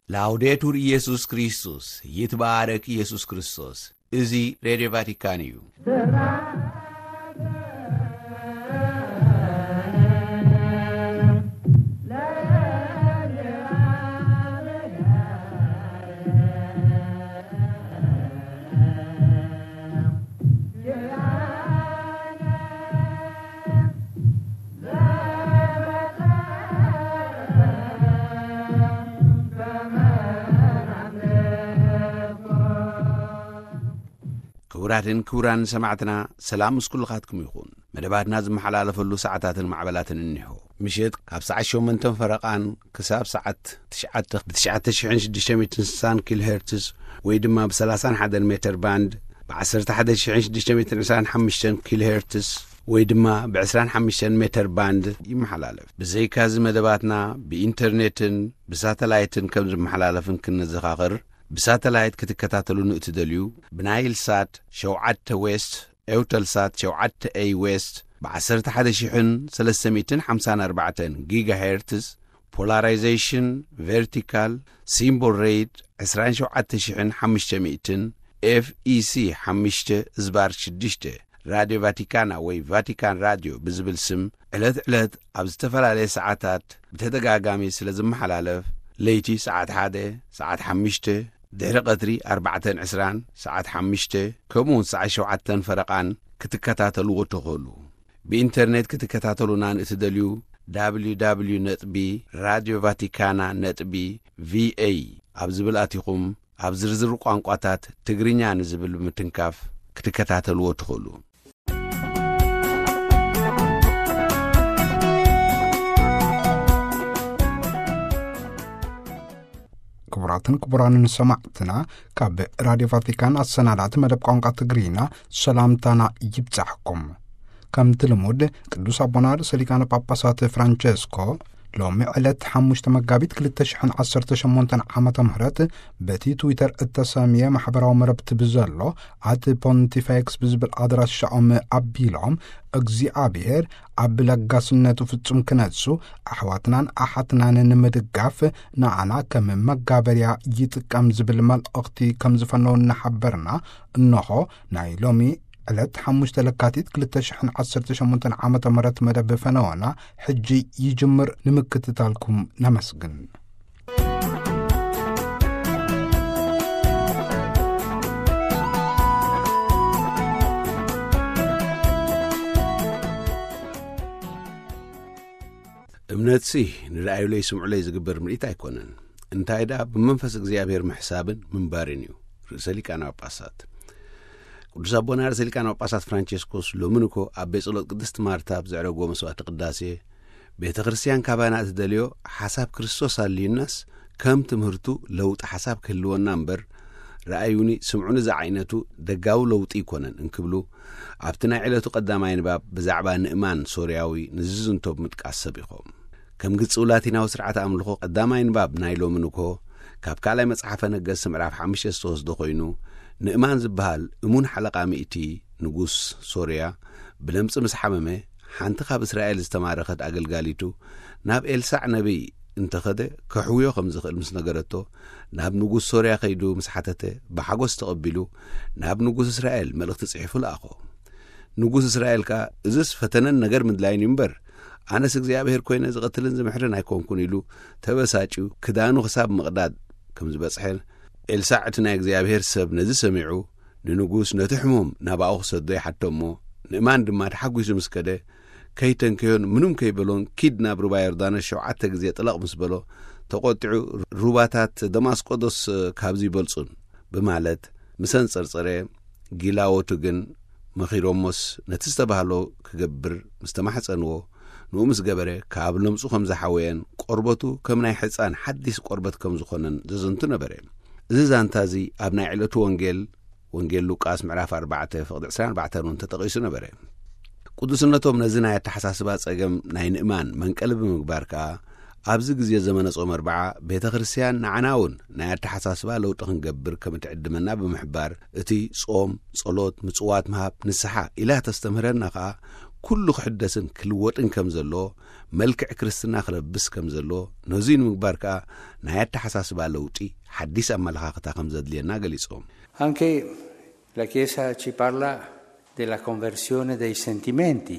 ላውዴቱር ኢየሱስ ክርስቶስ፣ ይትባረክ ኢየሱስ ክርስቶስ። እዚ ሬድዮ ቫቲካን እዩ። ክቡራትን ክቡራን ሰማዕትና፣ ሰላም ምስ ኩልኻትኩም ይኹን። መደባትና ዝመሓላለፈሉ ሰዓታትን ማዕበላትን እኒሆ። ምሸት ካብ ሰዓት ሸሞንተን ፈረቓን ክሳብ ሰዓት ትሽዓተ ብ ትሽዓተ ሽሕን ሽዱሽተ ሚእትን ስሳን ኪሎ ሄርትዝ ወይ ድማ ብ ሰላሳን ሓደን ሜተር ባንድ፣ ብ ዓሰርተ ሓደ ሽሕን ሽዱሽተ ሚእትን ዕስራን ሓሙሽተን ኪሎ ሄርትዝ ወይ ድማ ብ ዕስራን ሓሙሽተን ሜተር ባንድ ይመሓላለፍ። ብዘይካዚ መደባትና ብኢንተርኔትን ብሳተላይትን ከም ዝመሓላለፍን ክንዘኻኽር፣ ብሳተላይት ክትከታተሉ ንእትደልዩ፣ ብናይል ሳት ሸውዓተ ዌስት፣ ኤውተል ሳት ሸውዓተ ኤይ ዌስት፣ ብ ዓሰርተ ሓደ ሽሕን ሰለስተ ሚእትን ሓምሳን ኣርባዕተን ጊጋ ሄርትዝ፣ ፖላራይዜሽን ቨርቲካል፣ ሲምቦል ሬት ዕስራን ሸውዓተ ሽሕን ሓሙሽተ ሚእትን፣ ኤፍ ኢ ሲ ሓሙሽተ ዝባር ሽዱሽተ፣ ራድዮ ቫቲካና ወይ ቫቲካን ራድዮ ብዝብል ስም ዕለት ዕለት ኣብ ዝተፈላለየ ሰዓታት ብተደጋጋሚ ስለ ዝመሓላለፍ፣ ለይቲ ሰዓት ሓደ፣ ሰዓት ሓሙሽተ፣ ድሕሪ ቀትሪ ኣርባዕተን ዕስራን፣ ሰዓት ሓሙሽተ፣ ከምኡውን ሰዓት ሸውዓተን ፈረቓን ክትከታተልዎ ትኽእሉ። ብኢንተርኔት ክትከታተሉና ንእትደልዩ፣ www ነጥቢ ራድዮ ቫቲካና ነጥቢ ቪኤ ኣብ ዝብል ኣቲኹም፣ ኣብ ዝርዝር ቋንቋታት ትግርኛ ንዝብል ብምትንካፍ ክትከታተልዎ ትኽእሉ። ክቡራትን ክቡራንን ሰማዕትና፣ ካብ ራድዮ ቫቲካን ኣሰናዳእቲ መደብ ቋንቋ ትግርኛ ሰላምታና ይብጻሕኩም። ከምቲ ልሙድ፣ ቅዱስ ኣቦና ርእሰ ሊቃነ ጳጳሳት ፍራንቸስኮ ሎሚ ዕለት ሓሙሽተ መጋቢት ክልተ ሽሕን ዓሰርተ ሸሞንተን ዓመተ ምህረት በቲ ትዊተር እተሰምየ ማሕበራዊ መረብቲ ብዘሎ ኣት ፖንቲፌክስ ብዝብል ኣድራሻኦም ኣቢሎም፣ እግዚኣብሔር ኣብ ለጋስነቱ ፍጹም ክነሱ፣ ኣሕዋትናን ኣሓትናን ንምድጋፍ ንዓና ከም መጋበርያ ይጥቀም ዝብል መልእኽቲ ከም ዝፈነው እናሓበርና፣ እንሆ ናይ ሎሚ ዕለት ሓሙሽተ ለካቲት ክልተ ሽሕን ዓሰርተ ሸሞንተን ዓመተ ምህረት መደብ ፈነወና ሕጂ ይጅምር። ንምክትታልኩም ነመስግን። እምነትሲ ንርኣዩለይ ስምዑለይ ዝግበር ምርኢት ኣይኮነን። እንታይ ደኣ ብመንፈስ እግዚኣብሔር ምሕሳብን ምንባርን እዩ። ርእሰ ሊቃነ ጳጳሳት ቅዱስ ኣቦና ርእሰ ሊቃነ ጳጳሳት ፍራንቸስኮስ ሎሚ ንኮ ኣብ ቤት ጸሎት ቅድስት ማርታ ኣብ ዘዕረግዎ መስዋዕቲ ቅዳሴ፣ ቤተ ክርስቲያን ካባና እትደልዮ ሓሳብ ክርስቶስ ኣልዩናስ፣ ከም ትምህርቱ ለውጢ ሓሳብ ክህልወና እምበር፣ ረኣዩኒ ስምዑኒ ዝዓይነቱ ደጋዊ ለውጢ ይኮነን እንክብሉ፣ ኣብቲ ናይ ዕለቱ ቀዳማይ ንባብ ብዛዕባ ንእማን ሶርያዊ ንዝዝንቶ ብምጥቃስ ሰቢኾም። ከም ግጽው ላቲናዊ ስርዓት ኣምልኾ ቀዳማይ ንባብ ናይ ሎሚ ንግሆ፣ ካብ ካልኣይ መጽሓፈ ነገስት ምዕራፍ ሓሙሽተ ዝተወስደ ኮይኑ፣ ንእማን ዝበሃል እሙን ሓለቓ ሚእቲ ንጉስ ሶርያ ብለምጺ ምስ ሓመመ፣ ሓንቲ ካብ እስራኤል ዝተማረኸት ኣገልጋሊቱ ናብ ኤልሳዕ ነቢይ እንተኸደ ከሕውዮ ከም ዝኽእል ምስ ነገረቶ፣ ናብ ንጉስ ሶርያ ከይዱ ምስ ሓተተ፣ ብሓጎስ ተቐቢሉ ናብ ንጉስ እስራኤል መልእኽቲ ጽሒፉ ለኣኾ። ንጉስ እስራኤል ከኣ፣ "እዝስ ፈተነን ነገር ምድላይን እዩ እምበር፣ ኣነስ እግዚኣብሔር ኮይነ ዝቐትልን ዝምሕርን ኣይኮንኩን" ኢሉ ተበሳጭዩ ክዳኑ ክሳብ ምቕዳድ ከም ዝበጽሐ፣ ኤልሳዕ እቲ ናይ እግዚኣብሔር ሰብ ነዚ ሰሚዑ፣ ንንጉስ ነቲ ሕሙም ናባኡ ክሰዶ ይሓቶ እሞ፣ ንእማን ድማ ተሓጒሱ ምስ ከደ፣ ከይተንከዮን ምንም ከይበሎን፣ "ኪድ ናብ ሩባ ዮርዳኖስ ሸውዓተ ግዜ ጥለቕ" ምስ በሎ፣ ተቖጢዑ፣ "ሩባታት ደማስቆ ዶስ ካብዚ ይበልጹን?" ብማለት ምስ ኣንጸርጸረ፣ ጊላዎቱ ግን መኺሮሞስ ነቲ ዝተባህሎ ክገብር ምስ ተማሕጸንዎ፣ ንኡ ምስ ገበረ፣ ካብ ለምጹ ከም ዝሓወየን ቆርበቱ ከም ናይ ሕጻን ሓዲስ ቆርበት ከም ዝኾነን ዘዘንቱ ነበረ። እዚ ዛንታ እዚ ኣብ ናይ ዕለቱ ወንጌል፣ ወንጌል ሉቃስ ምዕራፍ ኣርባዕተ ፍቕዲ ዕስራን ኣርባዕተን እውን ተጠቒሱ ነበረ። ቅዱስነቶም ነዚ ናይ ኣተሓሳስባ ጸገም ናይ ንእማን መንቀሊ ብምግባር ከኣ፣ ኣብዚ ግዜ ዘመነ ጾም ኣርብዓ ቤተ ክርስቲያን ንዓና እውን ናይ ኣተሓሳስባ ለውጢ ክንገብር ከም እትዕድመና ብምሕባር፣ እቲ ጾም፣ ጸሎት፣ ምጽዋት፣ ምሃብ፣ ንስሓ ኢላ ተስተምህረና ከኣ፣ ኩሉ ክሕደስን ክልወጥን ከም ዘለዎ፣ መልክዕ ክርስትና ክለብስ ከም ዘለዎ፣ ነዙይ ንምግባር ከኣ ናይ ኣተሓሳስባ ለውጢ፣ ሓዲስ ኣመለኻኽታ ከም ዘድልየና ገሊጾም። Anche la Chiesa ci parla della conversione dei sentimenti,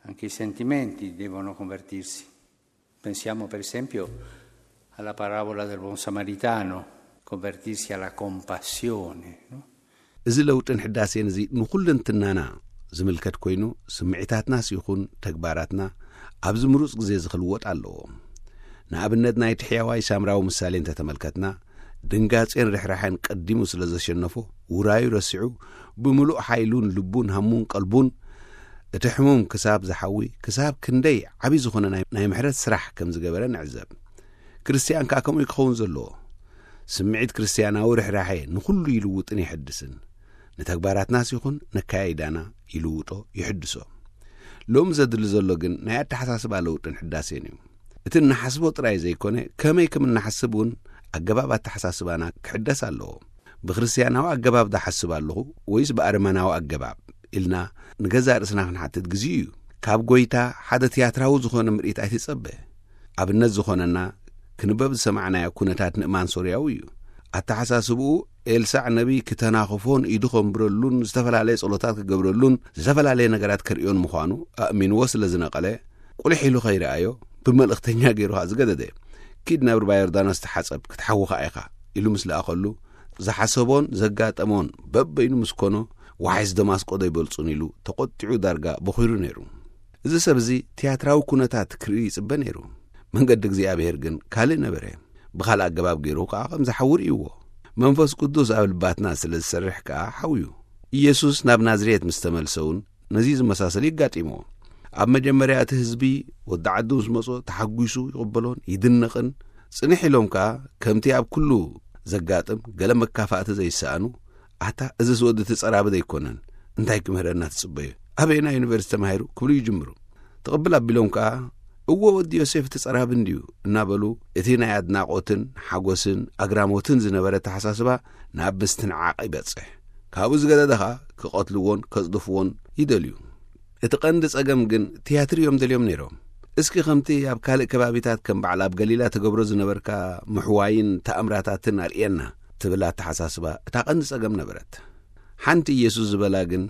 anche i sentimenti devono convertirsi. Pensiamo per esempio alla parabola del buon samaritano, convertirsi alla compassione, no? እዚ ለውጥን ሕዳሴን እዚ ንኹልንትናና ዝምልከት ኮይኑ፣ ስምዒታትናስ ይኹን ተግባራትና ኣብዚ ምሩጽ ግዜ እዚ ክልወጥ ኣለዎ። ንኣብነት ናይቲ ሕያዋይ ሳምራዊ ምሳሌ እንተተመልከትና፣ ድንጋጼን ርሕራሕን ቀዲሙ ስለ ዘሸነፎ፣ ውራዩ ረሲዑ ብምሉእ ሓይሉን ልቡን ሃሙን ቀልቡን እቲ ሕሙም ክሳብ ዝሓዊ፣ ክሳብ ክንደይ ዓቢ ዝኾነ ናይ ናይ ምሕረት ስራሕ ከም ዝገበረ ንዕዘብ። ክርስትያን ከኣ ከምኡ እዩ ክኸውን ዘለዎ። ስምዒት ክርስትያናዊ ርሕራሐ ንኹሉ ይልውጥን ይሕድስን። ንተግባራትናስ ይኹን ነካያይዳና ይልውጦ፣ ይሕድሶ። ሎሚ ዘድሊ ዘሎ ግን ናይ ኣተሓሳስባ ለውጥን ሕዳሴን እዩ። እቲ እንሓስቦ ጥራይ ዘይኮነ፣ ከመይ ከም እንሓስብ እውን ኣገባብ ኣተሓሳስባና ክሕደስ ኣለዎ። ብክርስትያናዊ ኣገባብ ዝሓስብ ኣለኹ ወይስ ብኣረማናዊ ኣገባብ ኢልና ንገዛእ ርእስና ክንሓትት ግዜኡ እዩ። ካብ ጎይታ ሓደ ትያትራዊ ዝኾነ ምርኢት ኣይትጸበ። ኣብነት ዝኾነና ክንበብ ዝሰማዕናዮ ኩነታት ንእማን ሶርያዊ እዩ። ኣተሓሳስብኡ ኤልሳዕ ነቢይ ክተናኽፎን ኢዱ ከንብረሉን ዝተፈላለየ ጸሎታት ክገብረሉን ዝተፈላለየ ነገራት ከርእዮን ምዃኑ ኣእሚንዎ ስለ ዝነቐለ፣ ቁልሕ ኢሉ ከይረኣዮ ብመልእኽተኛ ገይሩ ኸኣ ዝገደደ። "ኪድ ናብ ሩባ ዮርዳኖስ ተሓጸብ ክትሓዊ ኸኣ ኢኻ" ኢሉ ምስ ለኣኸሉ፣ ዝሓሰቦን ዘጋጠሞን በበይኑ ምስ ኮኖ፣ "ዋሕስ ደማስቆ ዶ ኣይበልጹን?" ኢሉ ተቖጢዑ ዳርጋ በኺሩ ነይሩ። እዚ ሰብ እዚ ትያትራዊ ኩነታት ክርኢ ይጽበ ነይሩ። መንገዲ እግዚኣብሔር ግን ካልእ ነበረ። ብኻልእ ኣገባብ ገይሩ ከኣ ከም ዝሓዊ ርእይዎ። መንፈስ ቅዱስ ኣብ ልባትና ስለ ዝሰርሕ ከኣ ሓውዩ። ኢየሱስ ናብ ናዝሬት ምስ ተመልሰ እውን ነዚ ዝመሳሰል ይጋጢሞ። ኣብ መጀመርያ እቲ ህዝቢ ወዲ ዓዱ ምስ መጾ ተሓጒሱ ይቕበሎን ይድነቕን። ጽንሕ ኢሎም ከኣ ከምቲ ኣብ ኩሉ ዘጋጥም ገለ መካፋእቲ ዘይሰኣኑ፣ "ኣታ እዝስ ወዲ እቲ ጸራቢ ዘይኮነን? እንታይ ክምህረና ትጽበዮ? ኣበየና ዩኒቨርሲቲ ተማሂሩ?" ክብሉ ይጅምሩ። ትቕብል ኣቢሎም ከኣ፣ "እወ ወዲ ዮሴፍ እቲ ጸራቢ እንድዩ" እናበሉ እቲ ናይ ኣድናቖትን ሓጎስን ኣግራሞትን ዝነበረ ኣተሓሳስባ ናብ ምስትንዓቕ ይበጽሕ። ካብኡ ዝገደደ ኸኣ ክቐትልዎን ከጽድፍዎን ይደልዩ። እቲ ቀንዲ ጸገም ግን ትያትር እዮም ደልዮም ነይሮም። እስኪ ከምቲ ኣብ ካልእ ከባቢታት ከም በዓል ኣብ ገሊላ ትገብሮ ዝነበርካ ምሕዋይን ተኣምራታትን ኣርእየና ትብል ኣተሓሳስባ እታ ቀንዲ ጸገም ነበረት። ሓንቲ ኢየሱስ ዝበላ ግን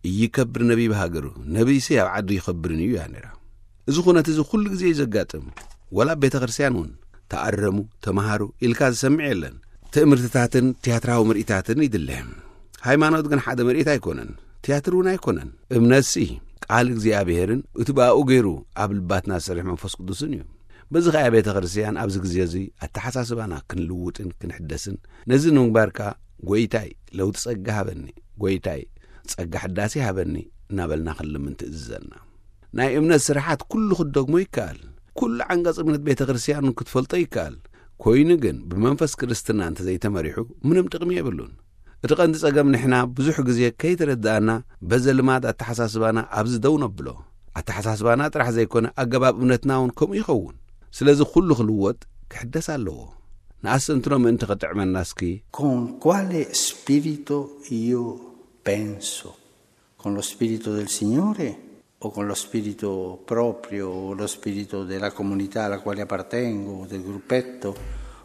"እይከብር ነቢይ ብሃገሩ፣ ነቢይሲ ኣብ ዓዱ ይኸብርን እዩ" እያ ነይራ። እዚ ኩነት እዚ ኩሉ ግዜ እዩ ዘጋጥም። ወላ ኣብ ቤተ ክርስቲያን እውን "ተኣረሙ፣ ተመሃሩ" ኢልካ ዝሰምዕ የለን። ትእምርትታትን ትያትራዊ ምርኢታትን ይድለ። ሃይማኖት ግን ሓደ ምርኢት ኣይኮነን፣ ትያትር እውን ኣይኮነን። እምነትሲ ቃል እግዚኣብሔርን እቲ ብኣኡ ገይሩ ኣብ ልባትና ዝሰርሕ መንፈስ ቅዱስን እዩ። በዚ ኸኣ ቤተ ክርስቲያን ኣብዚ ግዜ እዚ ኣተሓሳስባና ክንልውጥን ክንሕደስን፣ ነዚ ንምግባር ከኣ "ጎይታይ ለውጢ ጸጋ ሃበኒ፣ ጎይታይ ጸጋ ሕዳሴ ሃበኒ" እናበልና ክንልምን ትእዝዘና። ናይ እምነት ስራሓት ኩሉ ክትደግሞ ይከኣል። ኩሉ ዓንቀጽ እምነት ቤተ ክርስቲያን ክትፈልጦ ይከኣል። ኮይኑ ግን ብመንፈስ ክርስትና እንተዘይተመሪሑ ምንም ጥቕሚ የብሉን። እቲ ቀንዲ ጸገም ንሕና ብዙሕ ግዜ ከይተረዳእና በዘ ልማድ ኣተሓሳስባና ኣብዚ ደው ነብሎ። ኣተሓሳስባና ጥራሕ ዘይኮነ ኣገባብ እምነትና እውን ከምኡ ይኸውን። ስለዚ ኩሉ ክልወጥ ክሕደስ ኣለዎ። ንኣስተንትኖ ምእንቲ ክጥዕመና እስኪ። Con quale spirito io penso? Con lo spirito del Signore o con lo spirito proprio, o lo spirito della comunità alla quale appartengo, o del gruppetto,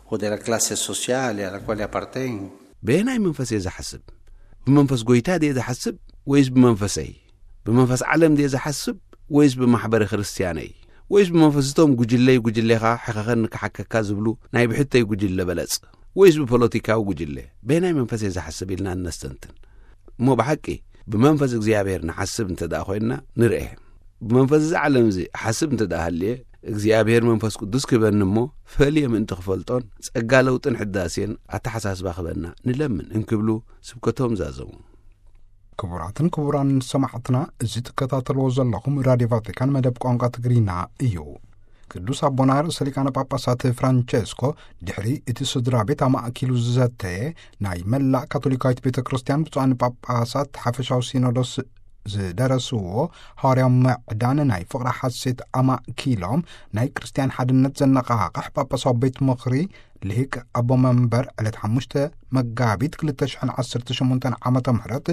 o della classe sociale alla quale appartengo? በየናይ መንፈስ እየ ዝሓስብ? ብመንፈስ ጎይታ ድየ ዝሓስብ ወይስ ብመንፈሰይ? ብመንፈስ ዓለም ድየ ዝሓስብ ወይስ ብማሕበረ ክርስትያነይ? ወይስ ብመንፈስ እቶም ጉጅለይ ጉጅሌኻ ሕኸኸኒ ክሓከካ ዝብሉ ናይ ብሕተይ ጉጅለ በለጽ? ወይስ ብፖለቲካዊ ጉጅለ? በየናይ መንፈስ እየ ዝሓስብ ኢልና እነስተንትን። እሞ ብሓቂ ብመንፈስ እግዚኣብሔር ንሓስብ እንተ ደኣ ኮይንና ንርኤ። ብመንፈስ እዚ ዓለም እዚ ሓስብ እንተ ደኣ ሃልየ፣ እግዚኣብሔር መንፈስ ቅዱስ ክህበኒ እሞ ፈልየ ምእንቲ ክፈልጦን ጸጋ ለውጥን ሕዳሴን ኣተሓሳስባ ክህበና ንለምን እንክብሉ ስብከቶም ዛዘሙ። ክቡራትን ክቡራን ሰማዕትና፣ እዚ ትከታተልዎ ዘለኹም ራድዮ ቫቲካን መደብ ቋንቋ ትግርኛ እዩ። ቅዱስ ኣቦና ርእሰ ሊቃነ ጳጳሳት ፍራንቸስኮ ድሕሪ እቲ ስድራ ቤት ኣማእኪሉ ዝዘተየ ናይ መላእ ካቶሊካዊት ቤተ ክርስቲያን ብፁዓን ጳጳሳት ሓፈሻዊ ሲኖዶስ ዝደረስዎ ሃዋርያዊ ምዕዳን ናይ ፍቕሪ ሓሴት ኣማእኪሎም ናይ ክርስቲያን ሓድነት ዘነቓቕሕ ጳጳሳዊ ቤት ምኽሪ ልሂቅ ኣቦ መንበር ዕለት ሓሙሽተ መጋቢት ክልተ ሽሕን ዓሰርተ ሸሞንተን ዓመተ ምህረት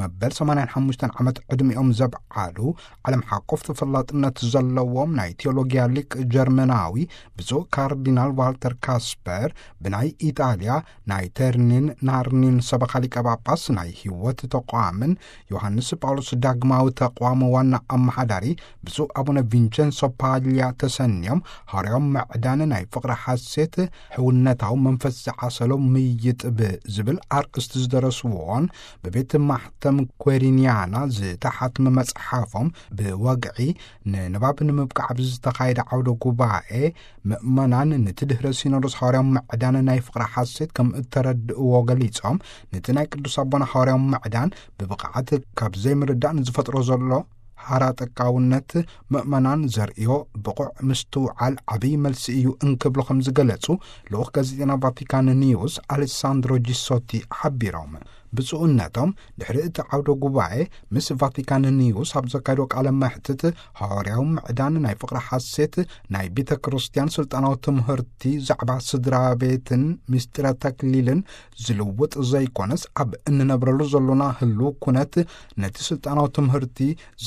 መበል ሰማንያን ሓሙሽተን ዓመት ዕድሚኦም ዘብዓሉ ዓለም ሓቆፍ ተፈላጥነት ዘለዎም ናይ ቴዎሎጊያ ሊቅ ጀርመናዊ ብፁዕ ካርዲናል ዋልተር ካስፐር ብናይ ኢጣልያ ናይ ተርኒን ናርኒን ሰበኻ ሊቀ ጳጳስ ናይ ህይወት ተቋምን ዮሃንስ ጳውሎስ ዳግማዊ ተቋም ዋና ኣመሓዳሪ ብፁዕ ኣቡነ ቪንቸንሶ ፓልያ ተሰንዮም፣ ሃዋርያዊ ምዕዳን ናይ ፍቕሪ ሓሴት ሕውነታዊ መንፈስ ዝዓሰሎ ምይጥ ብዝብል ኣርእስቲ ዝደረስዎን ብቤት ማሕተም ኮሪንያና ዝተሓትመ መጽሓፎም ብወግዒ ንንባብ ንምብቃዕ ብዝተኻየደ ዓውደ ጉባኤ፣ ምእመናን ነቲ ድሕረ ሲኖዶስ ሃዋርያዊ ምዕዳን ናይ ፍቕሪ ሓሴት ከም እተረድእዎ ገሊጾም፣ ነቲ ናይ ቅዱስ ኣቦና ሃዋርያዊ ምዕዳን ብብቕዓት ካብ ዘይምርዳእ ንዝፈጥሮ ዘሎ ሃራጠቃውነት፣ ምእመናን ዘርእዮ ብቑዕ ምስትውዓል ዓብዪ መልሲ እዩ እንክብሉ ከም ዝገለጹ ልኡኽ ጋዜጠና ቫቲካን ኒውስ ኣሌሳንድሮ ጂሶቲ ሓቢሮም። ብፁዕነቶም ድሕሪ እቲ ዓውደ ጉባኤ ምስ ቫቲካን ኒውስ ኣብ ዘካየዶ ቃለ መሕትት፣ ሃዋርያዊ ምዕዳን ናይ ፍቕሪ ሓሴት ናይ ቤተ ክርስቲያን ስልጣናዊ ትምህርቲ ዛዕባ ስድራ ቤትን ምስጢረ ተክሊልን ዝልውጥ ዘይኮነስ፣ ኣብ እንነብረሉ ዘሎና ህልው ኩነት ነቲ ስልጣናዊ ትምህርቲ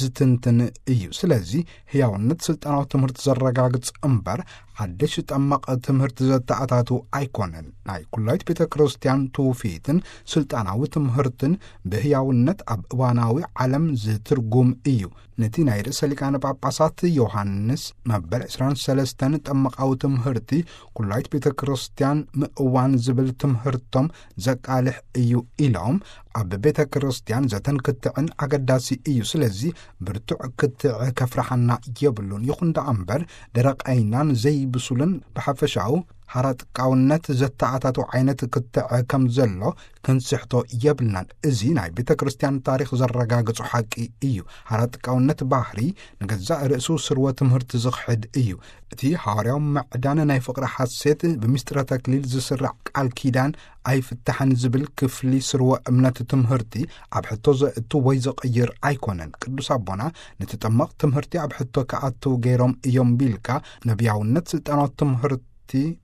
ዝትንትን እዩ። ስለዚ ህያውነት ስልጣናዊ ትምህርቲ ዘረጋግጽ እምበር ሓድሽ ጠማቕ ትምህርቲ ዘተኣታቱ ኣይኮነን። ናይ ኩላይት ቤተ ክርስቲያን ትውፊትን ስልጣናዊ ትምህርትን ብህያውነት ኣብ እዋናዊ ዓለም ዝትርጉም እዩ። ነቲ ናይ ርእሰ ሊቃነ ጳጳሳት ዮሃንስ መበል ዕስራን ሰለስተን ጠመቓዊ ትምህርቲ ኩላይት ቤተ ክርስቲያን ምእዋን ዝብል ትምህርቶም ዘቃልሕ እዩ ኢሎም፣ ኣብ ቤተ ክርስቲያን ዘተን ክትዕን ኣገዳሲ እዩ። ስለዚ ብርቱዕ ክትዕ ከፍርሓና የብሉን። ይኹን ደኣ እምበር ደረቕ ዓይናን ዘይብሱልን ብሓፈሻኡ ሓራጥቃውነት ዘተኣታቱ ዓይነት ክትዕ ከም ዘሎ ክንስሕቶ የብልናን። እዚ ናይ ቤተ ክርስቲያን ታሪኽ ዘረጋግጾ ሓቂ እዩ። ሓራጥቃውነት ባህሪ ንገዛእ ርእሱ ስርወ ትምህርቲ ዝኽሕድ እዩ። እቲ ሃዋርያዊ ምዕዳን ናይ ፍቕሪ ሓሴት ብምስጢረ ተክሊል ዝስራዕ ቃል ኪዳን ኣይፍታሕን ዝብል ክፍሊ ስርወ እምነት ትምህርቲ ኣብ ሕቶ ዘእቱ ወይ ዘቕይር ኣይኮነን። ቅዱስ ኣቦና ነቲ ጠመቕ ትምህርቲ ኣብ ሕቶ ክኣትው ገይሮም እዮም ቢልካ ነቢያውነት ስልጣናዊ ትምህርቲ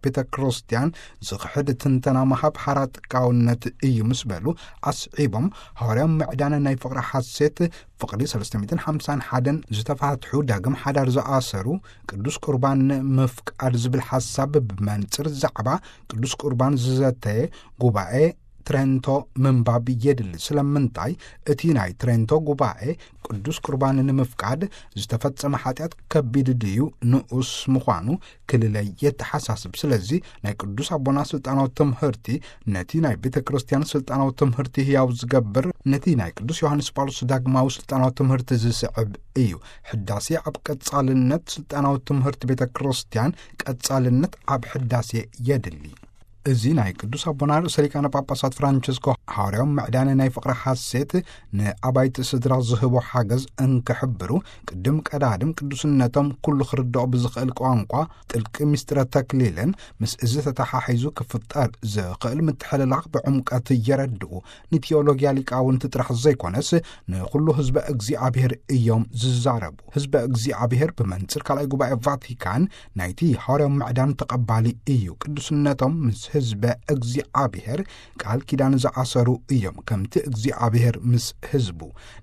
ቤተ ክርስቲያን ዝኽሕድ ትንተና ምሃብ ሓራጥቃውነት እዩ ምስ በሉ ኣስዒቦም፣ ሃዋርያዊ ምዕዳን ናይ ፍቕሪ ሓሴት ፍቕሪ ሰለስተ ሚእትን ሓምሳን ሓደን ዝተፋትሑ ዳግም ሓዳር ዝኣሰሩ ቅዱስ ቁርባን ምፍቃድ ዝብል ሓሳብ ብመንጽር ዛዕባ ቅዱስ ቁርባን ዝዘተየ ጉባኤ ትሬንቶ ምንባብ የድሊ። ስለምንታይ? እቲ ናይ ትሬንቶ ጉባኤ ቅዱስ ቁርባን ንምፍቃድ ዝተፈጸመ ሓጢኣት ከቢድ ድዩ ንኡስ ምዃኑ ክልለይ የተሓሳስብ። ስለዚ ናይ ቅዱስ ኣቦና ስልጣናዊ ትምህርቲ ነቲ ናይ ቤተ ክርስቲያን ስልጣናዊ ትምህርቲ ህያው ዝገብር፣ ነቲ ናይ ቅዱስ ዮሃንስ ጳውሎስ ዳግማዊ ስልጣናዊ ትምህርቲ ዝስዕብ እዩ። ሕዳሴ ኣብ ቀጻልነት ስልጣናዊ ትምህርቲ ቤተ ክርስቲያን ቀጻልነት ኣብ ሕዳሴ የድሊ። እዚ ናይ ቅዱስ ኣቦና ርእሰ ሊቃነ ጳጳሳት ፍራንቸስኮ ሃዋርያዊ ምዕዳን ናይ ፍቕሪ ሓሴት ንኣባይቲ ስድራ ዝህቦ ሓገዝ እንክሕብሩ፣ ቅድም ቀዳድም ቅዱስነቶም ኩሉ ክርድኦ ብዝኽእል ቋንቋ ጥልቂ ምስጢረ ተክሊልን ምስ እዚ ተተሓሒዙ ክፍጠር ዝኽእል ምትሕልላኽ ብዕምቀት የረድኡ። ንቴዎሎጊያ ሊቃውንቲ ጥራሕ ዘይኮነስ ንኹሉ ህዝበ እግዚኣብሔር እዮም ዝዛረቡ። ህዝበ እግዚኣብሔር ብመንጽር ካልኣይ ጉባኤ ቫቲካን ናይቲ ሃዋርያዊ ምዕዳን ተቐባሊ እዩ። ቅዱስነቶም ምስ ህዝበ እግዚኣብሔር ቃል ኪዳን ዝኣሰሩ እዮም፣ ከምቲ እግዚኣብሔር ምስ ህዝቡ።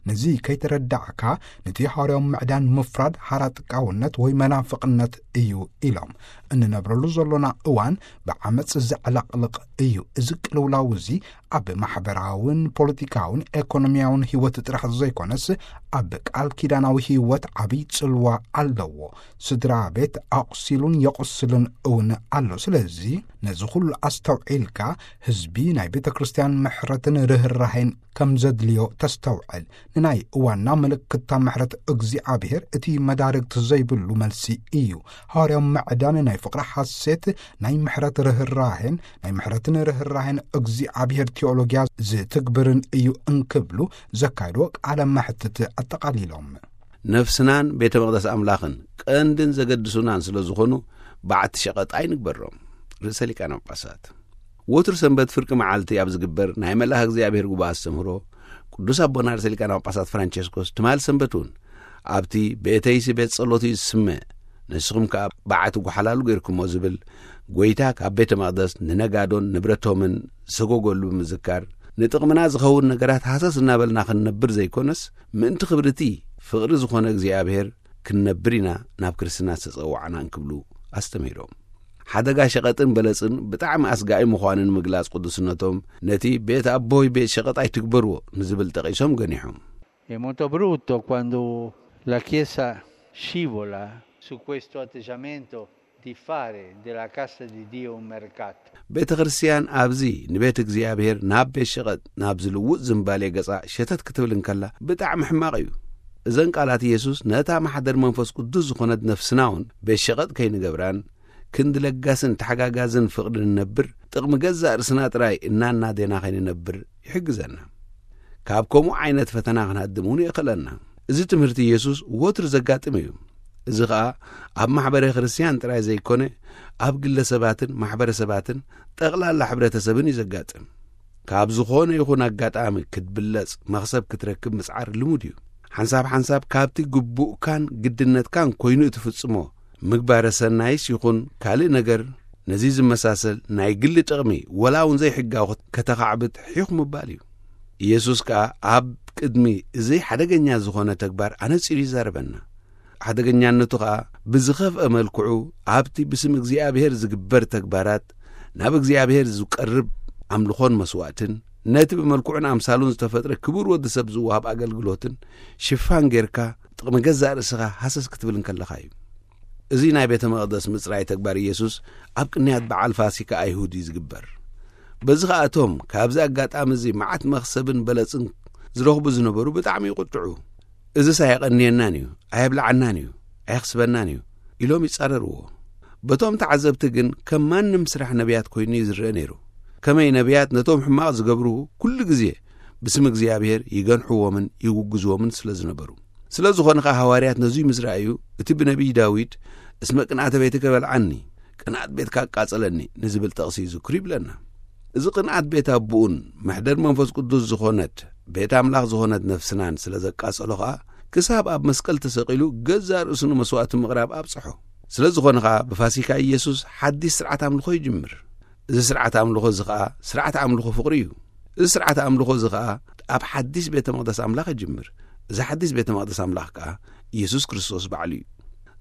ነዚ ከይተረዳዕካ ነቲ ሃዋርያዊ ምዕዳን ምፍራድ ሓራጥቃውነት ወይ መናፍቕነት እዩ ኢሎም። እንነብረሉ ዘሎና እዋን ብዓመጽ ዘዕለቕልቕ እዩ። እዚ ቅልውላው እዚ ኣብ ማሕበራውን ፖለቲካውን ኤኮኖሚያውን ህይወት ጥራሕ ዘይኮነስ ኣብ ቃል ኪዳናዊ ህይወት ዓብይ ጽልዋ ኣለዎ። ስድራ ቤት ኣቑሲሉን የቑስልን እውን ኣሎ። ስለዚ ነዚ ኩሉ ኣስተውዒልካ ህዝቢ ናይ ቤተ ክርስቲያን ምሕረትን ርህራሄን ከም ዘድልዮ ተስተውዕል። ንናይ እዋንና ምልክታ ምሕረት እግዚኣብሔር እቲ መዳርግቲ ዘይብሉ መልሲ እዩ። ሃዋርያዊ ምዕዳን ናይ ፍቕሪ ሓሴት ናይ ምሕረት ርህራሄን ናይ ምሕረትን ርህራሄን እግዚኣብሔር ቴዎሎጊያ ዝትግብርን እዩ እንክብሉ ዘካየድዎ ቃለ መሕትት ኣጠቓሊሎም። ነፍስናን ቤተ መቕደስ ኣምላኽን ቀንድን ዘገድሱናን ስለ ዝኾኑ በዓቲ ሸቐጥ ኣይንግበሮም። ርእሰ ሊቃነ ጳጳሳት ወትሩ ሰንበት ፍርቂ መዓልቲ ኣብ ዝግበር ናይ መልኣኽ እግዚኣብሔር ጉባኤ ኣስተምህሮ ቅዱስ ኣቦና ርእሰ ሊቃነ ጳጳሳት ፍራንቸስኮስ ትማል ሰንበት እውን ኣብቲ ቤተይሲ ቤት ጸሎት እዩ ዝስመ፣ ንስኹም ከኣ በዓቲ ጓሓላሉ ገይርኩሞ ዝብል ጐይታ ካብ ቤተ መቕደስ ንነጋዶን ንብረቶምን ዝሰጎገሉ ብምዝካር፣ ንጥቕምና ዝኸውን ነገራት ሃሰስ እናበልና ክንነብር ዘይኮነስ፣ ምእንቲ ክብሪ እቲ ፍቕሪ ዝኾነ እግዚኣብሔር ክንነብር ኢና ናብ ክርስትና ዝተጸዋዕና እንክብሉ ኣስተምህሮም። ሓደጋ ሸቐጥን በለጽን ብጣዕሚ ኣስጋኢ ምዃኑ ንምግላጽ ቅዱስነቶም፣ ነቲ ቤት ኣቦይ ቤት ሸቐጥ ኣይትግበርዎ ንዝብል ጠቒሶም ገኒሖም። È molto brutto quando la Chiesa scivola su questo atteggiamento di fare della casa di Dio un mercato. ቤተ ክርስቲያን ኣብዚ ንቤት እግዚኣብሔር ናብ ቤት ሸቐጥ ናብ ዝልውጥ ዝምባሌ ገጻ ሸተት ክትብል እንከላ ብጣዕሚ ሕማቕ እዩ። እዘን ቃላት ኢየሱስ ነታ ማሕደር መንፈስ ቅዱስ ዝኾነት ነፍስና እውን ቤት ሸቐጥ ከይንገብራን ክንዲ ለጋስን ተሓጋጋዝን ፍቕሪ ንነብር፣ ጥቕሚ ገዛእ ርእስና ጥራይ እናናዴና ከይንነብር ይሕግዘና። ካብ ከምኡ ዓይነት ፈተና ክንሃድም እውን የኽእለና። እዚ ትምህርቲ ኢየሱስ ወትሩ ዘጋጥም እዩ። እዚ ኸኣ ኣብ ማሕበረ ክርስቲያን ጥራይ ዘይኮነ፣ ኣብ ግለሰባትን ማሕበረሰባትን ጠቕላላ ሕብረተሰብን እዩ ዘጋጥም። ካብ ዝኾነ ይኹን ኣጋጣሚ ክትብለጽ መኽሰብ ክትረክብ ምጽዓር ልሙድ እዩ። ሓንሳብ ሓንሳብ ካብቲ ግቡእካን ግድነትካን ኮይኑ እትፍጽሞ ምግባረ ሰናይስ ይኹን ካልእ ነገር ነዚ ዝመሳሰል ናይ ግሊ ጥቕሚ ወላ እውን ዘይሕጋዊ ከተኻዕብት ሒኹ ምባል እዩ። ኢየሱስ ከኣ ኣብ ቅድሚ እዚ ሓደገኛ ዝኾነ ተግባር ኣነጺሩ ይዛረበና። ሓደገኛነቱ ኸኣ ብዝኸፍአ መልክዑ ኣብቲ ብስም እግዚኣብሔር ዝግበር ተግባራት ናብ እግዚኣብሔር ዝቀርብ ኣምልኾን መስዋእትን ነቲ ብመልክዑን ኣምሳሉን ዝተፈጥረ ክቡር ወዲ ሰብ ዝወሃብ ኣገልግሎትን ሽፋን ጌርካ ጥቕሚ ገዛእ ርእስኻ ሃሰስ ክትብል እንከለኻ እዩ። እዚ ናይ ቤተ መቕደስ ምጽራይ ተግባር ኢየሱስ ኣብ ቅንያት በዓል ፋሲካ ኣይሁድ እዩ ዝግበር። በዚ ኸኣ እቶም ካብዚ ኣጋጣሚ እዚ መዓት መኽሰብን በለጽን ዝረኽቡ ዝነበሩ ብጣዕሚ ይቁጥዑ። እዝስ ኣየቐንየናን እዩ፣ ኣየብልዓናን እዩ፣ ኣየኽስበናን እዩ ኢሎም ይጻረርዎ። በቶም ተዓዘብቲ ግን ከም ማንም ስራሕ ነቢያት ኮይኑ እዩ ዝረአ ነይሩ። ከመይ ነቢያት ነቶም ሕማቕ ዝገብሩ ኩሉ ግዜ ብስም እግዚኣብሔር ይገንሕዎምን ይውግዝዎምን ስለ ዝነበሩ። ስለ ዝኾነ ኸኣ ሃዋርያት ነዙይ ምስ ረኣዩ እቲ ብነቢይ ዳዊት እስመ ቅንኣተ ቤትከ በልዓኒ ቅንኣት ቤትካ ኣቃጸለኒ ንዝብል ጠቕሲ ይዝክሩ ይብለና። እዚ ቅንኣት ቤት ኣቦኡን መሕደር መንፈስ ቅዱስ ዝኾነት ቤት ኣምላኽ ዝኾነት ነፍስናን ስለ ዘቃጸሎ ኸኣ ክሳብ ኣብ መስቀል ተሰቒሉ ገዛእ ርእሱ ንመስዋእቲ ምቕራብ ኣብጽሖ። ስለ ዝኾነ ኸኣ ብፋሲካ ኢየሱስ ሓድሽ ስርዓት ኣምልኾ ይጅምር። እዚ ስርዓት ኣምልኾ እዚ ኸኣ ስርዓት ኣምልኾ ፍቕሪ እዩ። እዚ ስርዓት ኣምልኾ እዚ ኸኣ ኣብ ሓድሽ ቤተ መቕደስ ኣምላኽ ይጅምር። እዚ ሓድሽ ቤተ መቕደስ ኣምላኽ ከኣ ኢየሱስ ክርስቶስ ባዕሉ እዩ።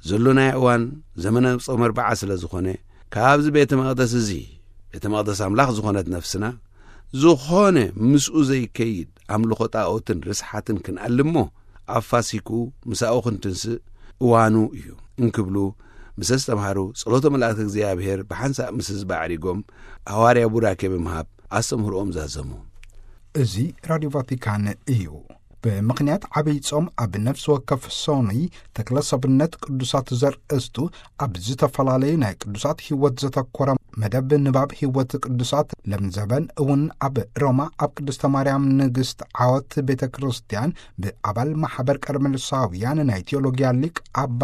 ዘሎናዮ እዋን ዘመነ ጾም ኣርብዓ ስለ ዝኾነ ካብዚ ቤተ መቕደስ እዚ ቤተ መቕደስ ኣምላኽ ዝኾነት ነፍስና ዝኾነ ምስኡ ዘይከይድ ኣምልኾ ጣኦትን ርስሓትን ክንኣልሞ ኣፋሲኩ ምሳኡ ክንትንስእ እዋኑ እዩ እንክብሉ ምስ ኣስተምሃሩ ጸሎተ መላእክቲ እግዚኣብሔር ብሓንሳእ ምስ ህዝቢ ኣዕሪጎም ኣዋርያ ቡራኬ ብምሃብ ኣስተምህሮኦም ዛዘሙ። እዚ ራድዮ ቫቲካን እዩ። ብምኽንያት ዓብይ ጾም ኣብ ነፍሲ ወከፍ ሶኑይ ተክለ ሰብነት ቅዱሳት ዘርእስቱ ኣብ ዝተፈላለዩ ናይ ቅዱሳት ህይወት ዘተኮረ መደብ ንባብ ህይወት ቅዱሳት ለምዘበን እውን ኣብ ሮማ ኣብ ቅድስተ ማርያም ንግስት ዓወት ቤተ ክርስቲያን ብኣባል ማሕበር ቀርሜሎሳውያን ናይ ቴዎሎጊያ ሊቅ ኣባ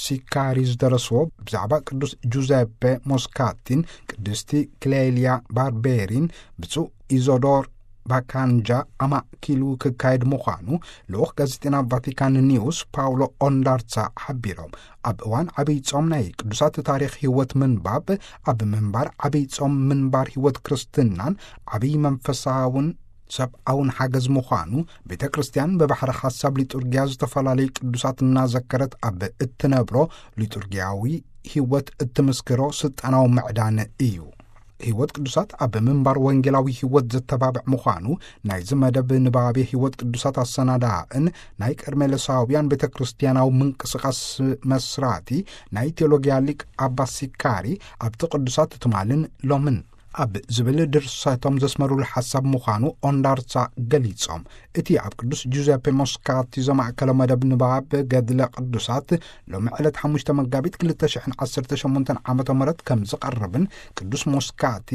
ሲካሪ ዝደረስዎ ብዛዕባ ቅዱስ ጁዘፔ ሞስካቲን ቅድስቲ ክሌልያ ባርቤሪን ብፁዕ ኢዞዶር ባካንጃ ኣማእኪሉ ክካየድ ምዃኑ ልኡኽ ጋዜጠና ቫቲካን ኒውስ ፓውሎ ኦንዳርሳ ሓቢሮም። ኣብ እዋን ዓብይ ጾም ናይ ቅዱሳት ታሪኽ ህይወት ምንባብ ኣብ ምንባር ዓብይ ጾም ምንባር ህይወት ክርስትናን ዓብይ መንፈሳውን ሰብኣውን ሓገዝ ምዃኑ ቤተ ክርስቲያን ብባሕሪ ሓሳብ ሊጡርጊያ ዝተፈላለዩ ቅዱሳት እናዘከረት ኣብ እትነብሮ ሊጡርጊያዊ ህይወት እትምስክሮ ስልጣናዊ ምዕዳን እዩ። ህይወት ቅዱሳት ኣብ ምንባር ወንጌላዊ ህይወት ዘተባብዕ ምዃኑ ናይዚ መደብ ንባቤ ህይወት ቅዱሳት ኣሰናዳእን ናይ ቀርሜሎሳውያን ቤተ ክርስቲያናዊ ምንቅስቃስ መስራቲ ናይ ቴዎሎጊያ ሊቅ ኣባ ሲካሪ ኣብቲ ቅዱሳት ትማልን ሎምን ኣብ ዝብል ድርሰቶም ዘስመሩሉ ሓሳብ ምዃኑ ኦንዳርሳ ገሊጾም። እቲ ኣብ ቅዱስ ጁዘፔ ሞስካቲ ዘማእከለ መደብ ንባብ ገድለ ቅዱሳት ሎሚ ዕለት ሓሙሽተ መጋቢት ክልተ ሽሕን ዓሰርተ ሸሞንተን ዓመተ ምህረት ከም ዝቐርብን ቅዱስ ሞስካቲ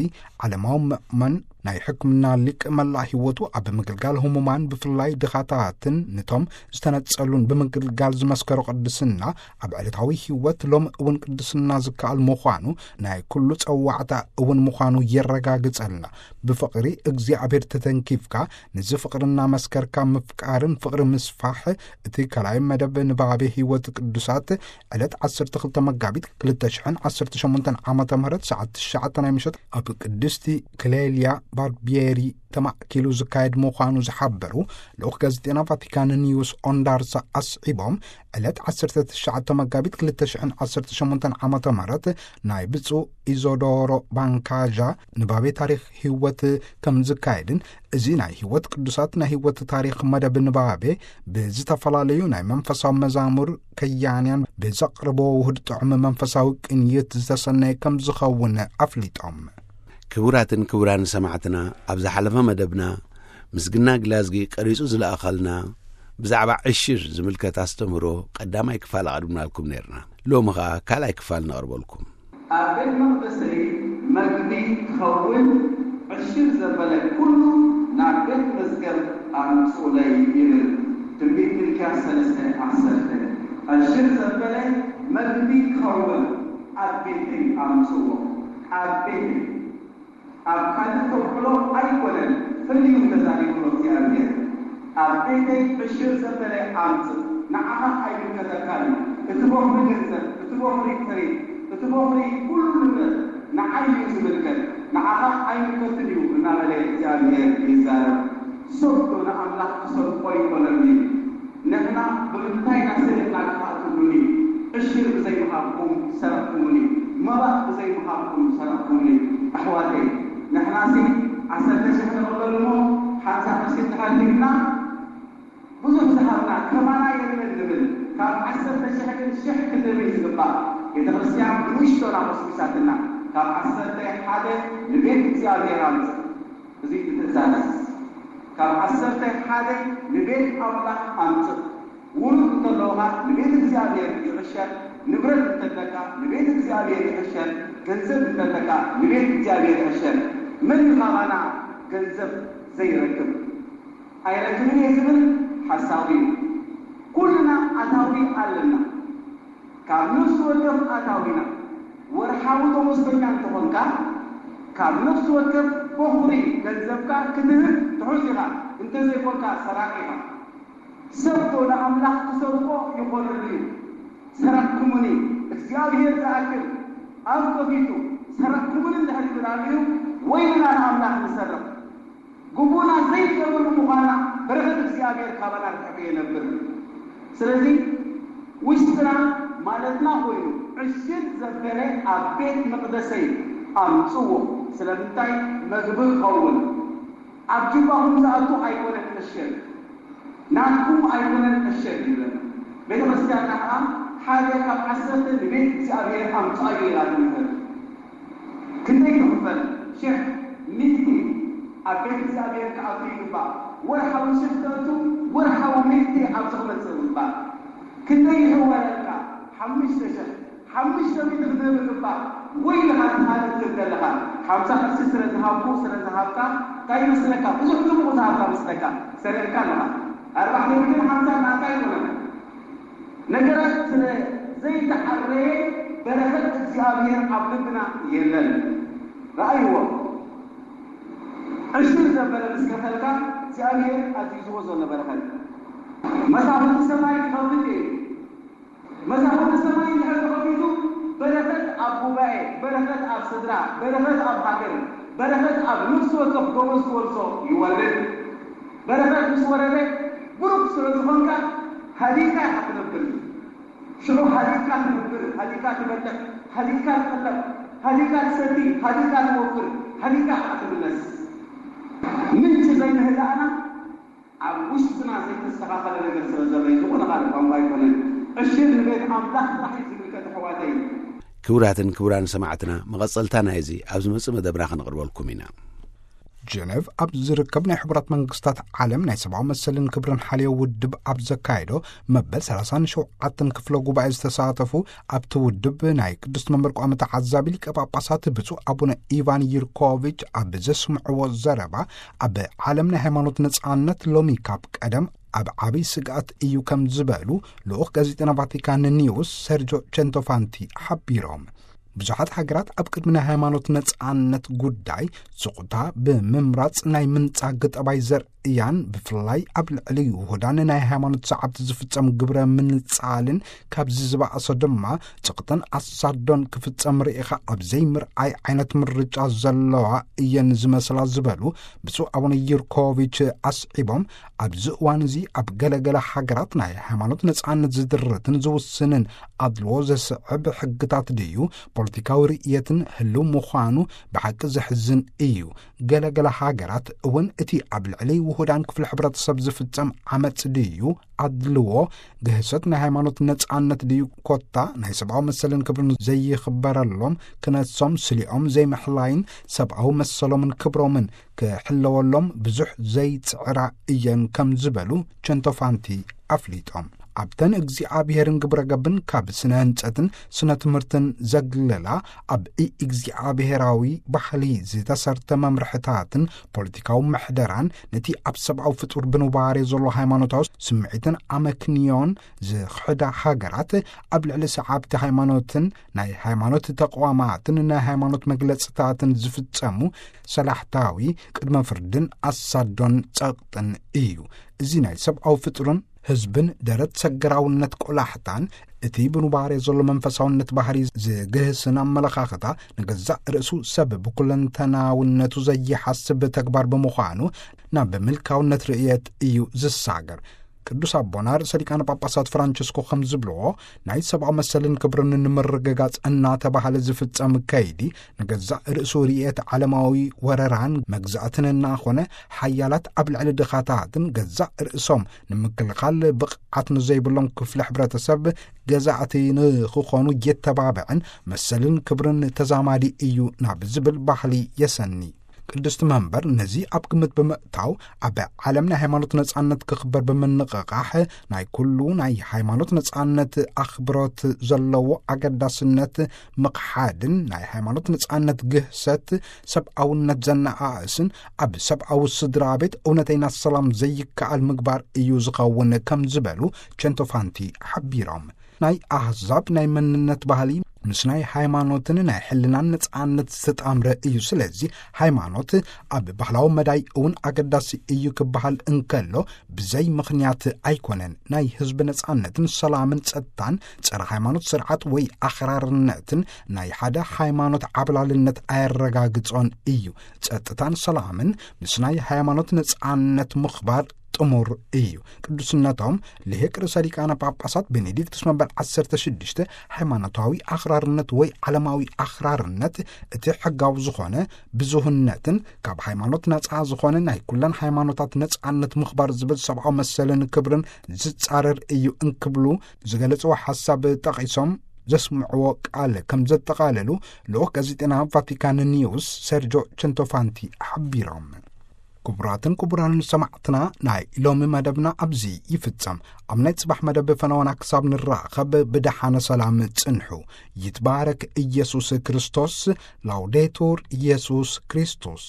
ዓለማዊ ምእመን ናይ ሕክምና ሊቅ መላእ ህይወቱ ኣብ ምግልጋል ህሙማን፣ ብፍላይ ድኻታትን ንቶም ዝተነጸሉን ብምግልጋል ዝመስከሮ ቅድስና፣ ኣብ ዕለታዊ ህይወት ሎም እውን ቅድስና ዝከኣል ምዃኑ፣ ናይ ኩሉ ጸዋዕታ እውን ምዃኑ የረጋግጸልና። ብፍቕሪ እግዚኣብሔር ተተንኪፍካ፣ ንዚ ፍቕሪ እናመስከርካ ምፍቃርን ፍቕሪ ምስፋሕ፣ እቲ ካልኣይ መደብ ንባቤ ህይወት ቅዱሳት ዕለት ዓሰርተ ክልተ መጋቢት ክልተ ሽሕን ዓሰርተ ሸሞንተን ዓመተ ምህረት ሰዓት ትሽዓተ ናይ ምሸት ኣብ ቅድስቲ ክሌልያ ባርቢየሪ ተማእኪሉ ዝካየድ ምዃኑ ዝሓበሩ ልኡኽ ጋዜጠና ቫቲካን ኒውስ ኦንዳርሳ ኣስዒቦም፣ ዕለት ዓሰርተ ትሽዓተ መጋቢት ክልተ ሽሕን ዓሰርተ ሸሞንተን ዓመተ ምህረት ናይ ብፁዕ ኢዞዶሮ ባንካዣ ንባቤ ታሪኽ ህይወት ከም ዝካየድን፣ እዚ ናይ ህይወት ቅዱሳት ናይ ህይወት ታሪኽ መደብ ንባቤ ብዝተፈላለዩ ናይ መንፈሳዊ መዛሙር ከያንያን ብዘቕርቦ ውህድ ጥዑም መንፈሳዊ ቅንይት ዝተሰነየ ከም ዝኸውን ኣፍሊጦም። ክቡራትን ክቡራን ሰማዕትና፣ ኣብ ዝሓለፈ መደብና ምስግና ግላዝጊ ቀሪጹ ዝለኣኸልና ብዛዕባ ዕሽር ዝምልከት ኣስተምህሮ ቀዳማይ ክፋል ኣቕሪብናልኩም ነርና። ሎሚ ኸኣ ካልኣይ ክፋል ነቕርበልኩም። ኣብ ቤት መቕደሰይ መግቢ ክኸውን ዕሽር ዘበለ ኩሉ ናብ ቤት መዝገብ ኣምጽኡለይ ይብል ትንቢት ሚልክያስ ሰለስተ ዓሰርተ። ዕሽር ዘበለ መግቢ ክኸውን ኣብ ቤተይ ኣምጽዎ። ኣብ ቤተይ ኣብ ካልእ ተውዕሎ ኣይኮነን፣ ፍልዩ ተዛሪብሎ እግዚኣብሔር። ኣብ ቤተይ ዕሽር ዘበለ ኣምጽእ፣ ንዓኻ ኣይምልከተካን እዩ። እቲ ቦኽሪ ገንዘብ፣ እቲ ቦኽሪ ጥሪት፣ እቲ ቦኽሪ ኩሉ ንብረት ንዓይ እዩ ዝምልከት፣ ንዓኻ ኣይምልከትን እዩ እናበለ እግዚኣብሔር ይዛረብ። ሰብ ዶ ንኣምላኽ ክሰርቆ ይኾነሉ እዩ? ንሕና ብምንታይ ኢና ሰሪቕና ክፋእ ትብሉኒ? ዕሽር ብዘይምሃብኩም ሰረቕኩምኒ፣ መባእ ብዘይምሃብኩም ሰረቕኩምኒ። ኣሕዋተይ፣ ንሕናሲ ዓሰርተ ሽሕ ንቕበል እሞ ሓምሳ ቅርሺ እንድሕር ሂብና ብዙሕ ዝሃብና ከማና የለን ንብል። ካብ ዓሰርተ ሽሕ ግን ሽሕ ክንህብ እዩ ዝግባእ። ቤተ ክርስቲያን ብንእሽቶና ኮስሚሳትና። ካብ ዓሰርተ ሓደ ንቤት እግዚኣብሔር ኣምጽእ። እዚ እቲ ትእዛዝ። ካብ ዓሰርተ ሓደ ንቤት ኣምላኽ ኣምጽእ። ውሉድ እንተለውኻ ንቤት እግዚኣብሔር ይዕሸር፣ ንብረት እንተለካ ንቤት እግዚኣብሔር ይዕሸር፣ ገንዘብ እንተለካ ንቤት እግዚኣብሔር ይዕሸር። መን እዩ ካባና ገንዘብ ዘይረክብ? ኣይረክብን እየ ዝብል ሓሳዊ እዩ። ኩልና ኣታዊ ኣለና። ካብ ነፍሲ ወከፍ ኣታዊና ወርሓዊ ደሞዝተኛ እንተኾንካ፣ ካብ ነፍሲ ወከፍ በኹሪ ገንዘብካ ክትህብ ትሑዝ ኢኻ፣ እንተዘይኮንካ ሰራቂ ኢኻ። ሰብ ዶ ንኣምላኽ ክሰርቆ ይኾነሉ እዩ? ሰረቕኩምኒ፣ እግዚኣብሔር ዝኣክል ኣፍ ከፊቱ ሰረቕኩምኒ እንድሕር ይብል ኣልዩ፣ ወይልና ንኣምላኽ ንሰርቕ። ግቡእና ዘይንገብር ብምዃንና በረኸት እግዚኣብሔር ካባና ርሒቑ ይነብር። ስለዚ ውሽጥና ማለትና ኮይኑ ዕሽር ዘበለ ኣብ ቤት መቕደሰይ ኣምጽዎ። ስለምንታይ? መግቢ ክኸውን። ኣብ ጁባኹም ዝኣቱ ኣይኮነን ዕሽር፣ ናትኩም ኣይኮነን ዕሽር ይብለና። ቤተ ክርስቲያንና ከኣ ሓደ ካብ ዓሰርተ ንቤት እግዚኣብሔር ኣምጽኣዮ ኢላ ትምህር። ክንደይ ትኽፈል? ሽሕ፣ ሚእቲ ኣብ ቤት እግዚኣብሔር ክኣቱ ይግባእ። ወርሓዊ ሽሕ ተእቱ፣ ወርሓዊ ሚእቲ ኣብዚ ክመጽእ ይግባእ። ክንደይ ይሕወረልካ? ሓሙሽተ ሽሕ። ሓሙሽተ ሚእቲ ክትህብ ይግባእ። ወይ ኢኻ ትሃብ ትብል ዘለኻ። ሓምሳ ቅርሺ ስለ ዝሃብኩ፣ ስለ ዝሃብካ፣ እንታይ ይመስለካ? ብዙሕ ጽቡቕ ዝሃብካ መስለካ። ሰሪቕካ ኣለኻ። ኣርባዕተ ሚእትን ሓምሳን ናትካ ኣይኮነን። ነገራት ስለ ዘይተዓረየ በረኸት እግዚኣብሔር ኣብ ልብና የለን። ረኣይዎ። ዕሽር ዘበለ ምስ ከፈልካ እግዚኣብሔር ኣዚዝዎ ዘሎ በረኸት። መሳኹቲ ሰማይ ክኸፍት እዩ። መሳኹቲ ሰማይ እንድሕር ተኸፊቱ፣ በረኸት ኣብ ጉባኤ፣ በረኸት ኣብ ስድራ፣ በረኸት ኣብ ሃገር፣ በረኸት ኣብ ነፍሲ ወከፍ ጎበዝ ክወርሶ ይወርድ። በረኸት ምስ ወረደ፣ ብሩክ ስለ ዝኾንካ፣ ሃዲእካ ኢኻ ትነብር። ሽዑ ሃዲእካ ትነብር፣ ሃዲእካ ትበልዕ፣ ሃዲእካ ትቕለብ፣ ሃዲእካ ትሰቲ፣ ሃዲእካ ትወፍር፣ ሃዲእካ ኢኻ ትምለስ። ምንጪ ዘይምህዳእና ኣብ ውሽጥና ዘይተስተኻኸለ ነገር ስለ ዘሎ እዩ። ዝኾነ ካልእ ቋንቋ ኣይኮነን። ዕሽር ንቤት ኣምላኽ ጥራሕ እዩ ዝምልከት፣ ኣሕዋተይ። ክቡራትን ክቡራን ሰማዕትና፣ መቐጸልታ ናይዚ ኣብ ዝመጽእ መደብና ክንቕርበልኩም ኢና። ጀነቭ ኣብ ዝርከብ ናይ ሕቡራት መንግስታት ዓለም ናይ ሰብኣዊ መሰልን ክብርን ሓልዮ ውድብ ኣብ ዘካየዶ መበል ሰላሳን ሸውዓተን ክፍለ ጉባኤ ዝተሳተፉ፣ ኣብቲ ውድብ ናይ ቅዱስ መንበር ቋሚ ተዓዛቢ ሊቀ ጳጳሳት ብፁዕ ኣቡነ ኢቫን ዩርኮቪች ኣብ ዘስምዕዎ ዘረባ፣ ኣብ ዓለም ናይ ሃይማኖት ነጻነት ሎሚ ካብ ቀደም ኣብ ዓብይ ስግኣት እዩ ከም ዝበሉ ልኡኽ ጋዜጠና ቫቲካን ኒውስ ሰርጆ ቸንቶፋንቲ ሓቢሮም። ብዙሓት ሃገራት ኣብ ቅድሚ ናይ ሃይማኖት ነጻነት ጉዳይ ስቕታ ብምምራጽ ናይ ምንጻግ ጠባይ ዘርእያን፣ ብፍላይ ኣብ ልዕሊ ውሁዳን ናይ ሃይማኖት ሰዓብቲ ዝፍጸም ግብረ ምንጻልን ካብዚ ዝበኣሶ ድማ ጽቕጥን ኣሳዶን ክፍጸም ርኢኻ ኣብ ዘይምርኣይ ዓይነት ምርጫ ዘለዋ እየን ዝመስላ ዝበሉ ብፁዕ ኣቡነ ዩርኮቪች ኣስዒቦም፣ ኣብዚ እዋን እዚ ኣብ ገለገለ ሃገራት ናይ ሃይማኖት ነጻነት ዝድርትን ዝውስንን ኣድልዎ ዘስዕብ ሕግታት ድዩ ፖለቲካዊ ርእየትን ህልው ምዃኑ ብሓቂ ዘሕዝን እዩ። ገለገለ ሃገራት እውን እቲ ኣብ ልዕሊ ውሁዳን ክፍሊ ሕብረተሰብ ዝፍጸም ዓመጽ ድዩ ኣድልዎ፣ ግህሰት ናይ ሃይማኖት ነጻነት ድዩ ኮታ ናይ ሰብኣዊ መሰልን ክብርን ዘይኽበረሎም ክነሶም ስሊኦም ዘይምሕላይን ሰብኣዊ መሰሎምን ክብሮምን ክሕለወሎም ብዙሕ ዘይጽዕራ እየን ከም ዝበሉ ቸንቶፋንቲ ኣፍሊጦም። ኣብተን እግዚኣብሔርን ግብረ ገብን ካብ ስነ ህንጸትን ስነ ትምህርትን ዘግለላ፣ ኣብ እግዚኣብሔራዊ ባህሊ ዝተሰርተ መምርሕታትን ፖለቲካዊ ምሕደራን፣ ነቲ ኣብ ሰብኣዊ ፍጡር ብንባሬ ዘሎ ሃይማኖታዊ ስምዒትን ኣመክንዮን ዝኽሕዳ ሃገራት፣ ኣብ ልዕሊ ሰዓብቲ ሃይማኖትን ናይ ሃይማኖት ተቋማትን ናይ ሃይማኖት መግለጽታትን ዝፍጸሙ ሰላሕታዊ ቅድመ ፍርድን ኣሳዶን ጸቕጥን እዩ። እዚ ናይ ሰብኣዊ ፍጡርን ህዝብን ደረት ሰገራውነት ቆላሕታን፣ እቲ ብኑባሬ ዘሎ መንፈሳውነት ባህሪ ዝግህስን ኣመለኻኽታ፣ ንገዛእ ርእሱ ሰብ ብኩለንተናውነቱ ዘይሓስብ ተግባር ብምዃኑ፣ ናብ ምልካውነት ርእየት እዩ ዝሳገር። ቅዱስ ኣቦና ርእሰ ሊቃነ ጳጳሳት ፍራንቸስኮ ከም ዝብልዎ፣ ናይ ሰብኣዊ መሰልን ክብርን ንምርግጋጽ እናተባህለ ዝፍጸም ከይዲ፣ ንገዛእ ርእሱ ርእየት ዓለማዊ ወረራን መግዛእትን እናኾነ፣ ሓያላት ኣብ ልዕሊ ድኻታትን ገዛእ ርእሶም ንምክልኻል ብቕዓት ንዘይብሎም ክፍሊ ሕብረተሰብ ገዛእቲ ንኽኾኑ የተባብዕን መሰልን ክብርን ተዛማዲ እዩ ናብ ዝብል ባህሊ የሰኒ። ቅድስቲ መንበር ነዚ ኣብ ግምት ብምእታው፣ ኣብ ዓለም ናይ ሃይማኖት ነጻነት ክኽበር ብምንቕቓሕ፣ ናይ ኩሉ ናይ ሃይማኖት ነጻነት ኣኽብሮት ዘለዎ ኣገዳስነት ምኽሓድን ናይ ሃይማኖት ነጻነት ግህሰት ሰብኣውነት ዘነኣእስን ኣብ ሰብኣዊ ስድራ ቤት እውነተይና ሰላም ዘይከኣል ምግባር እዩ ዝኸውን ከም ዝበሉ ቸንቶፋንቲ ሓቢሮም። ናይ ኣህዛብ ናይ መንነት ባህሊ ምስ ናይ ሃይማኖትን ናይ ሕልናን ነጻነት ዝተጣምረ እዩ። ስለዚ ሃይማኖት ኣብ ባህላዊ መዳይ እውን ኣገዳሲ እዩ ክበሃል እንከሎ፣ ብዘይ ምኽንያት ኣይኮነን። ናይ ህዝቢ ነጻነትን ሰላምን ጸጥታን ጸረ ሃይማኖት ስርዓት ወይ ኣኽራርነትን ናይ ሓደ ሃይማኖት ዓብላልነት ኣየረጋግጾን እዩ። ጸጥታን ሰላምን ምስ ናይ ሃይማኖት ነጻነት ምኽባር ጥሙር እዩ። ቅዱስነቶም ልሂቅ ርእሰ ሊቃነ ጳጳሳት ቤኔዲክቱስ መበል ዓሰርተ ሽዱሽተ፣ ሃይማኖታዊ ኣኽራርነት ወይ ዓለማዊ ኣኽራርነት፣ እቲ ሕጋዊ ዝኾነ ብዙህነትን ካብ ሃይማኖት ነጻ ዝኾነ ናይ ኩለን ሃይማኖታት ነጻነት ምኽባር ዝብል ሰብኣዊ መሰልን ክብርን ዝጻረር እዩ እንክብሉ ዝገለጽዎ ሓሳብ ጠቒሶም ዘስምዕዎ ቃል ከም ዘጠቓለሉ ልኡኽ ጋዜጠና ቫቲካን ኒውስ ሰርጆ ቸንቶፋንቲ ሓቢሮም። ክቡራትን ክቡራንን ሰማዕትና፣ ናይ ሎሚ መደብና ኣብዚ ይፍጸም። ኣብ ናይ ጽባሕ መደብ ፈነወና ክሳብ ንራኸብ ብደሓነ ሰላም ጽንሑ። ይትባረክ ኢየሱስ ክርስቶስ። ላውዴቱር ኢየሱስ ክርስቶስ።